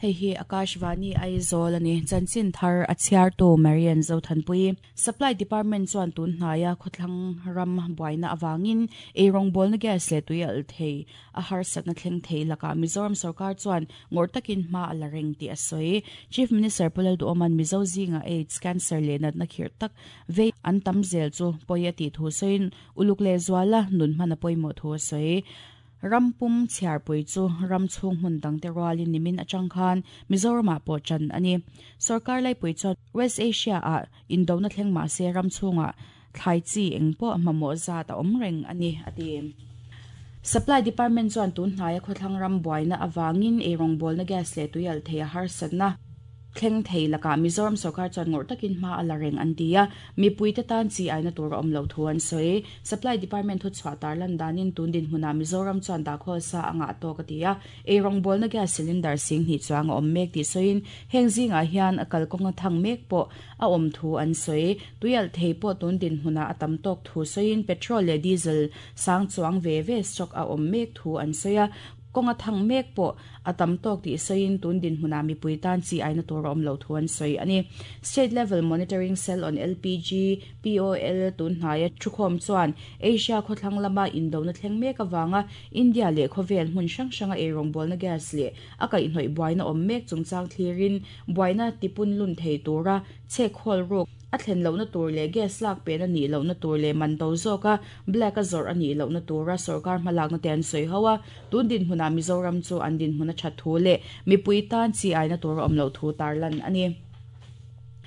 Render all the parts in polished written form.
Hei hi Akashvani Aizawl a ni. Chanchin thar a chhiartu Marian Zothanpui. Supply Department chuan tun hnaia khawthlang ram buaina avangin eirawngbawlna gas leh tui alh thei a harsatna thleng thei lakah Mizoram sorkar chuan ngawrh takin hma a la reng tih a sawi. Chief Minister Pu Lalduhawma'n Mizo zinga AIDS, Cancer leh natna khirh tak vei an tam zel chu pawi a tih thu sawiin uluk leh zuala nun hman a pawimawh thu a sawi. Ram pum chhiarpui chu ram chhung hmun dangte rualin nimin atang khan Mizoramah pawh ṭan a ni. Sorkar laipui chuan West Asia-ah indona thleng mah se ram chhungah thlai chi eng pawh mamawh zat a awm reng a ni, a ti. Supply Department chuan tun hnaia khawthlang ram buaina avangin eirawngbawlna gas leh tuialh thei a harsatna thleng thei lakah Mizoram sorkar chuan ngawrh takin hma a la reng an ti a, mipuite tan chi aina tur a awm loh thu an sawi. Supply Department thuchhuah tarlan danin tun dinhmunah Mizoram chuan dahkhawl sa a ngah tawk a ti a, eirawngbawlna gas cylinder 2000 chuang a awm mek tih sawiin heng zingah hian a kalkawnga thang mek pawh a awm thu an sawi. Tuialh thei pawh tun dinhmunah a tam tawk thu sawiin petrol leh diesel sang chuang ve ve stock a awm mek thu an sawi a, kawnga thang mek pawh a tam tawk tih sawiin tun dinhmunah mipui tan chi aina tur a awm loh thu an sawi a ni. State Level Monitoring Cell on LPG, POL, tun hnaia thukhawm chuan Asia khawthlang lama indona thleng mek avanga India leh khawvel hmun hrang hranga eirawngbawlna gas leh a kaihhnawih buaina awm mek chungchang thlirin buaina tipun lun thei tura chhek hawl ruk a thlen lohna tur leh gas lak pen a nih lohna tur leh man to zawka black a zawrh a nih lohna tura sorkar hmalakna te an sawi ho a, tun dinhmunah Mizoram chu an dinhmun a that thu leh mipui tan chi aina tur a awm loh thu tarlan a ni.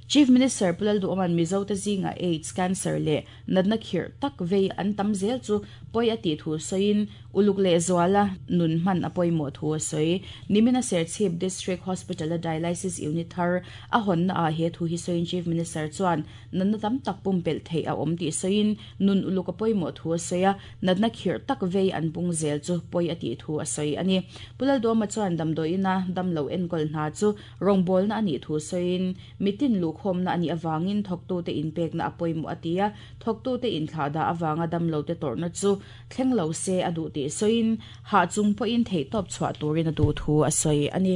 Chief Minister Pu Lalduhawma'n Mizote zingah AIDS, Cancer leh natna khirh tak vei an tam zel chu pawi a tih thu sawiin uluk leh zuala nun hman a pawimawh thu a sawi. Nimina Serchhip District Hospital-a Dialysis Unit thar a hawnna ah he thu hi sawiin Chief Minister chuan natna tam tak pumpelh theih a awm tih sawiin nun uluk a pawimawh thu a sawi a, natna khirh tak vei an pung zel chu pawi a tih thu a sawi a ni. Pu Lalduhawma chuan damdawiina damlo enkawl hna chu Rawngbawlna a nih thu sawiin, mitin luhkhawmna a nih avangin thawktute inpekna a pawimawh a ti a, thawktute inthlahdah avanga damlote tawrhna chu thleng lo se a duh tih sawiin, hah chung pawhin theihtawp chhuah turin a duh thu a sawi a ni.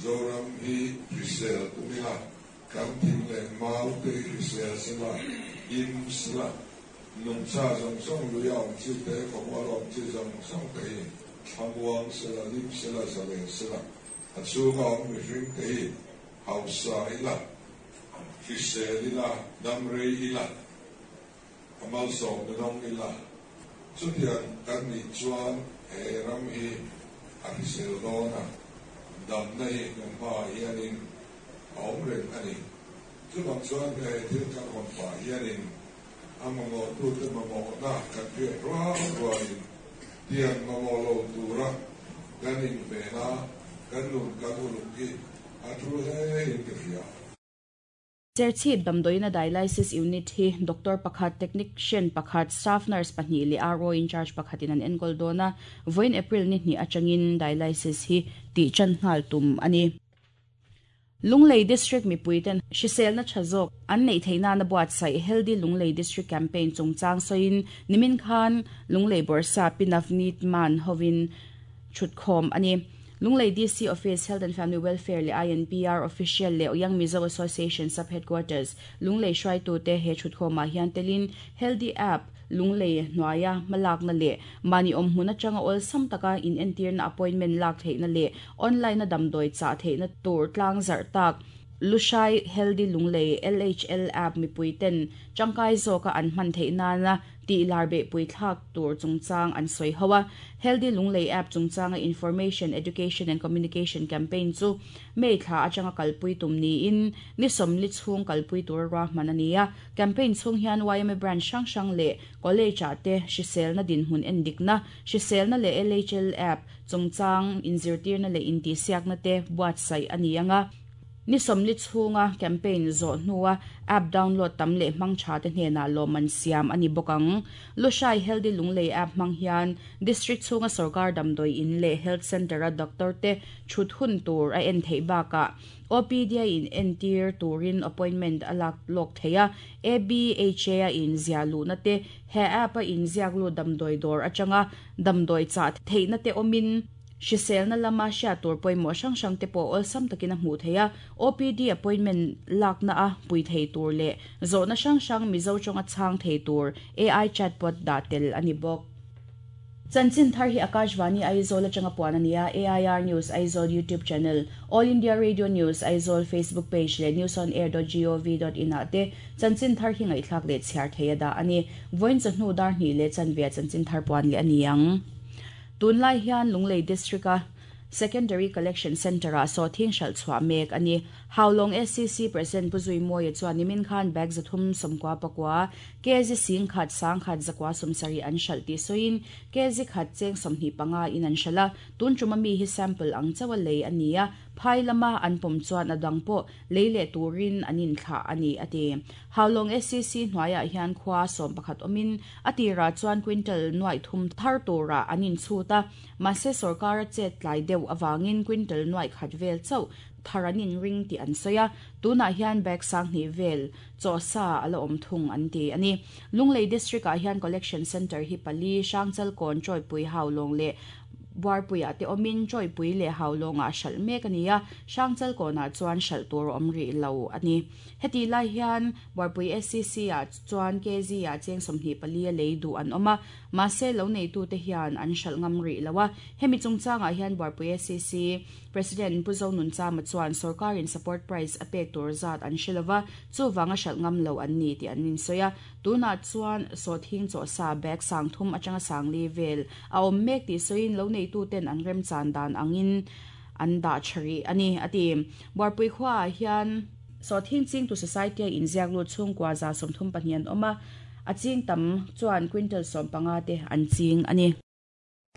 Zoram hi hrisel tum ila, kan thing leh mau te hi hrisel sela, him sela, nungcha zawng zawng lui a awm chi te, khawmual a awm chi zawng zawng te hi thlamuang sela, hlim sela, zalen sela. A chhunga awm mihring te hi hausa ila, hrisel ila, dam rei ila, a malsawmna dawng ila, chutiang kan nih chuan he ram hi a hrisel dawn a, damna hi kan hmaah hianin a awm reng a ni. Chuvang chuan he thil kan hawn pah hianin a mamawhtute mamawhna kan hriat rual rualin tiang mamawh lo tura kan inven a, kan nun kan uluk hi a thu hle in ka hria. Serchhip damdawiina Dialysis Unit hi Doctor pakhat, Technician pakhat, Staff Nurse pahnih leh RO in charge pakhatin an enkawl dawn a, vawiin April ni hnih atangin Dialysis hi tih tan nghal tum a ni. Lunglei District mipuiten hriselna tha zawk an neih theih nana buatsaih Healthy Lunglei District Campaign chungchang sawiin nimin khan Lunglei Bawrhsa Pi Navneet Mann hovin thutkhawm a ni. Lunglei DC Office, Health and Family Welfare leh INPR Official leh Young Mizo Association Sub Headquarters, Lunglei hruaitute he thutkhawmah hian telin Healthy App, Lunglei hnuaia hmalakna leh mahni awm hmun atanga awlsam taka inentirna appointment lak theihna leh online-a damdawi chah theihna tur tlang zarh tak Lushai Healthy Lunglei, LHL, app mipuiten tangkai zawka an hman theih nana tih lar behpui thlak tur chungchang an sawi ho a. Healthy Lunglei app chungchanga Information, Education and Communication campaign chu May thla atanga kalpui tum niin ni sawmli chhung kalpui tura ruahman a ni a. Campaign chhung hian yma branch hrang hrang leh college ah te hriselna dinhmun endikna, hriselna leh LHL app chungchang inzirtirna leh intihsiakna te buatsaih a ni ang a. Ni sawmli chhunga campaign zawh hnua app download tam leh hmang tha te hnenah lawmman siam a ni bawk ang. Lushai Healthy Lunglei app hmang hian district chhunga sorkar damdawi in leh health centre-a doctor te thut hun tur a en theih bakah OPD-a in entir turin appointment a lak lawk thei a, ABHA a in ziah luhna te, he app-a in ziak lut damdawi dawr atanga damdawi chah theihna te awmin Hriselna lama hriat tur pawimawh hrang hrang te pawh awlsam takin a hmuh theih a, OPD appointment lakna a pui thei tur leh zawhna hrang hrang Mizo tawnga chhang thei tur AI chatbot dah tel a ni bawk. Chanchin thar hi Akashvani Aizawl atanga puan a ni a, AIR News Aizawl YouTube channel, All India Radio News Aizawl Facebook page leh newsonair.gov.in ah te chanchin thar hi ngaihthlak leh chhiar thei a dah a ni. Vawiin chawhnu dar hnih leh chanve ah chanchin thar puan leh a ni ang. Tunlai hian Lunglei District-a Secondary Collection Centre-ah sawhthing hralh chhuah mek a ni. Haulawng SCC President Pu Zuimawia chuan nimin khan bag 399, kg 10 10 170 an hralh tih sawiin kg khat cheng 25 in an hralh a, tun ṭuma mi hi sample ang chauha lei a ni a, phai lama an pawm chuan a dang pawh lei leh turin an inthlah a ni, a ti. Haulawng SCC hnuaiah hian khua 11 awmin a tirah chuan quintal nuaih thum thar turah an inchhut a, mahse sorkara chet tlai deuh avangin quintal nuaih khat vel chauh thar an inring tih an sawi a, tunah hian bag 2000 vel chaw sa a la awm thung an ti a ni. Lunglei District-ah hian Collection Centre hi pali, Hrangchalkawn, Chawipui, Haulawng leh Buarpuiah te awmin Chawipui leh Haulawngah hralh mek a ni a, Hrangchalkawnah chuan hralh tur a awm rih lo a ni. Heti lai hian Buarpui SCC-ah chuan kg-ah cheng 24 a lei duh an awm a, mahse lo neitute hian an hralh ngam rih lo a. Hemi chungchangah hian Buarpui SCC President Pu Zonunchama chuan sorkarin support price a pek tur zat an hre lova, chuvanga hralh ngam lo an ni tih an insawi a. Tunah chuan sawhthing chawhsa bag 3000 atanga 4000 vel a awm mek tih sawiin lo neituten an remchan dan angin an dah tha rih a ni, a ti. Buarpui khuaah hian sawhthing chingtu society-a inziak lut chhungkua 134 an awm a, a ching tam chuan quintal 15 te an ching a ni.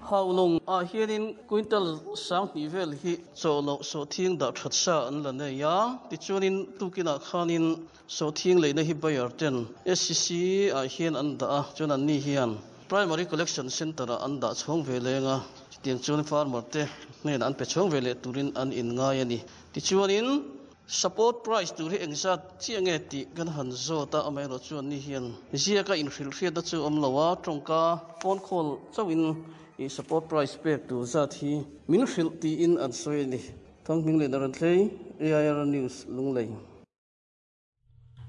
Haulawng ah hianin quintal 2000 vel hi chawhloh sawhthing dah that sa an la nei a, tichuanin tukinah khanin sawhthing leina hi buyer ten SCC ah hian an dah a, chuan anni hian Primary Collection Centre ah an dah chhawng ve leng a, chutiang chuan farmer te hnenah an pe chhawng ve leh turin an inngai a ni. Tichuanin support price tur hi engzat chiah nge tih kan han zawt a, amaherawh chu anni hian ziaka inhrilhhriatna chu awm lo a, tawngka phone call chauhin i support price pek tur zat hi min hrilh tiin an sawi a ni. Thangming leh Narantlei, AIR News, Lunglei.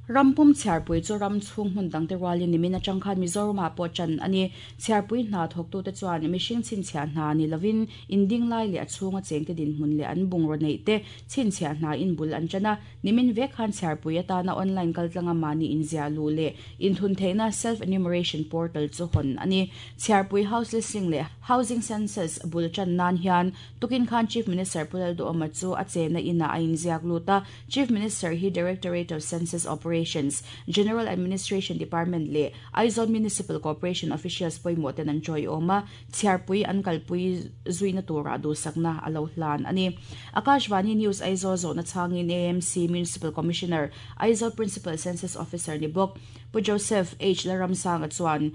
Rampum chhiarpui chu ram chhung hmun dangte rualin nimin atang khan Mizoramah pawh ṭan a ni. Chhiarpui hna thawktute chuan mihring chhinchhiah hna ni lovin inding lai leh a chhunga chengte dinhmun leh an bungraw neih te chhinchhiah hna in bul an ṭan a. Nimin vek khan chhiarpui atana online kaltlanga mahni inziah luh leh inthun theihna self-enumeration portal chu hawn a ni. Chhiarpui house listing leh housing census bul ṭan nan hian tukin khan Chief Minister Pu Lalduhawma chu a chenna inah a inziak lut a. Chief Minister hi Directorate of Census Operations, General Administration Department leh Aizawl Municipal Corporation officials pawimawh ten an tawiawm a, chhiarpui an kalpui zuina turah duhsakna a lo hlan a ni. Akashvani News Aizawl zawhna chhangin AMC Municipal Commissioner, Aizawl Principal Census Officer ni bawk Pu Joseph H. Laramsanga chuan,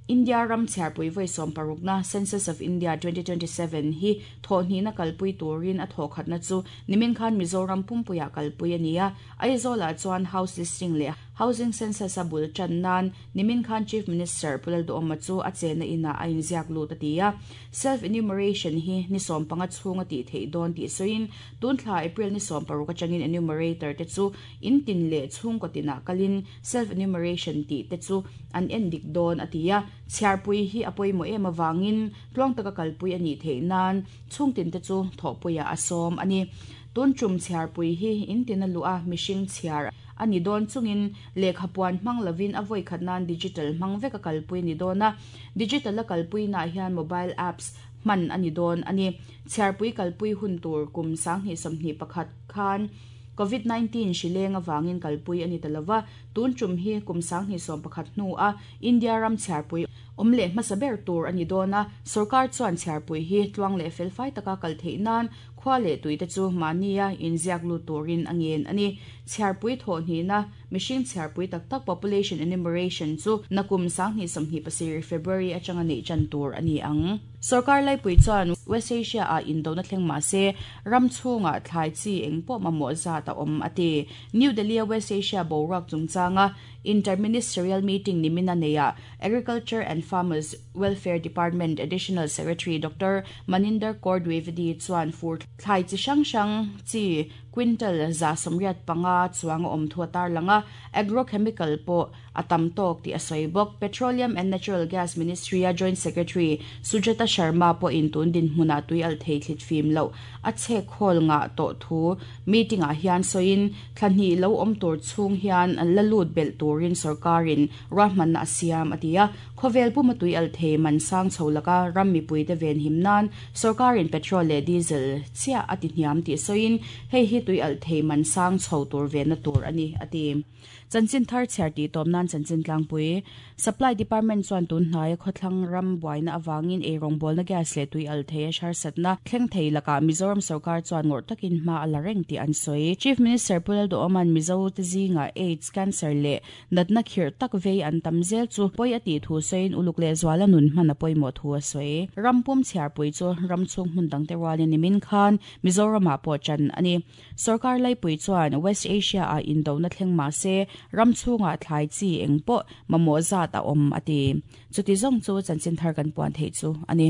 India ram chhiarpui vawi 60na Census of India 2027 hi thawhhnihna kalpui turin a thawhkhatna chu nimin khan Mizoram pumpuiah kalpui a ni a, Aizawlah chuan house listing leh housing census a bul tan nan nimin khan Chief Minister Pu Lalduhawma chu a chenna inah a inziak lut a ti a. Self enumeration hi ni 15 chhunga tih theih dawn tih sawiin tun thla April ni 16 atangin enumerator te chu in tin leh chhungkaw tinah kalin self enumeration tih te chu an en dik dawn a ti a, chhiarpui hi a pawimawh em avangin tluang taka kalpui a nih theih nan chhungtin te chu thawhpuiah a sawm a ni. Tun tum chhiarpui hi in tin a luh a, mihring chhiar a ni dawn chungin lehkha puan hmang lovin a vawi khat nan digital hmang vek a kalpui a ni dawn a, digital a kalpuinaah hian mobile apps hman a ni dawn a ni. Chhiarpui kalpui hun tur kum 2021 khan Covid 19 hri leng avangin kalpui a ni ta lova, tun tum hi kum 2021 hnu a India ram chhiarpui awm leh hmasa ber tur a ni dawn a, sorkar chuan chhiarpui hi tluang leh felfai taka kal theih nan khua leh tui te chu mahnia inziak lut turin a ngen a ni. Chhiarpui thawhhnihna Mihring chhiarpui tak tak population enumeration chu nakum 2027 February atanga neih tan tur a ni ang. Sorkar laipui chuan West Asia ah indona thleng mah se ram chhungah thlai chi eng pawh mamawh zat a awm a ti. New Delhi a West Asia boruak chungchanga Inter-Ministerial Meeting nimina neihah Agriculture and Farmers Welfare Department Additional Secretary Doctor Maninder Kaur Dwivedi chuan fur thlai chi hrang hrang chi quintal 185 chuang a awm thu a tarlang a, agrochemical pawh a tam tawk tih a sawi bawk. Petroleum and Natural Gas Ministry-a Joint Secretary Sujata Sharma pawhin tun dinhmunah tui alh thei thlit fim loh a chhek khawl ngah tawh thu meeting-ah hian sawiin thla hnih lo awm tur chhung hian la lut belh turin sorkarin ruahmanna a siam a ti a. Khawvel puma tui alh thei man sang chho laka ram mipuite venhim nan sorkarin petrol leh diesel chiah a ti hniam tih sawiin hei hi tui alh thei man sang chho tur venna tur a ni a ti. Chanchin thar chhiar tih tawp nan chanchin tlangpui Supply Department chuan tun hnaia khawthlang ram buaina avangin eirawngbawlna gas leh tui alh thei a harsatna thleng thei lakah Mizoram sorkar chuan ngawrh takin hma a la reng tih an sawi. Chief Minister Pu Lalduhawma'n Mizo te zingah AIDS, Cancer leh natna khirh tak vei an tam zel chu pawi a tih thu sawiin uluk leh zuala nun hman a pawimawh thu a sawi. Ram pum chhiarpui chu ram chhung hmun dangte rualin nimin khan Mizoramah pawh ṭan a ni. Sorkar laipui chuan West Asia-ah indona thleng mah se ram chhungah thlai chi eng pawh mamawh zat a awm a ti. Chuti zawng chu chanchin thar kan puan theih chu a ni.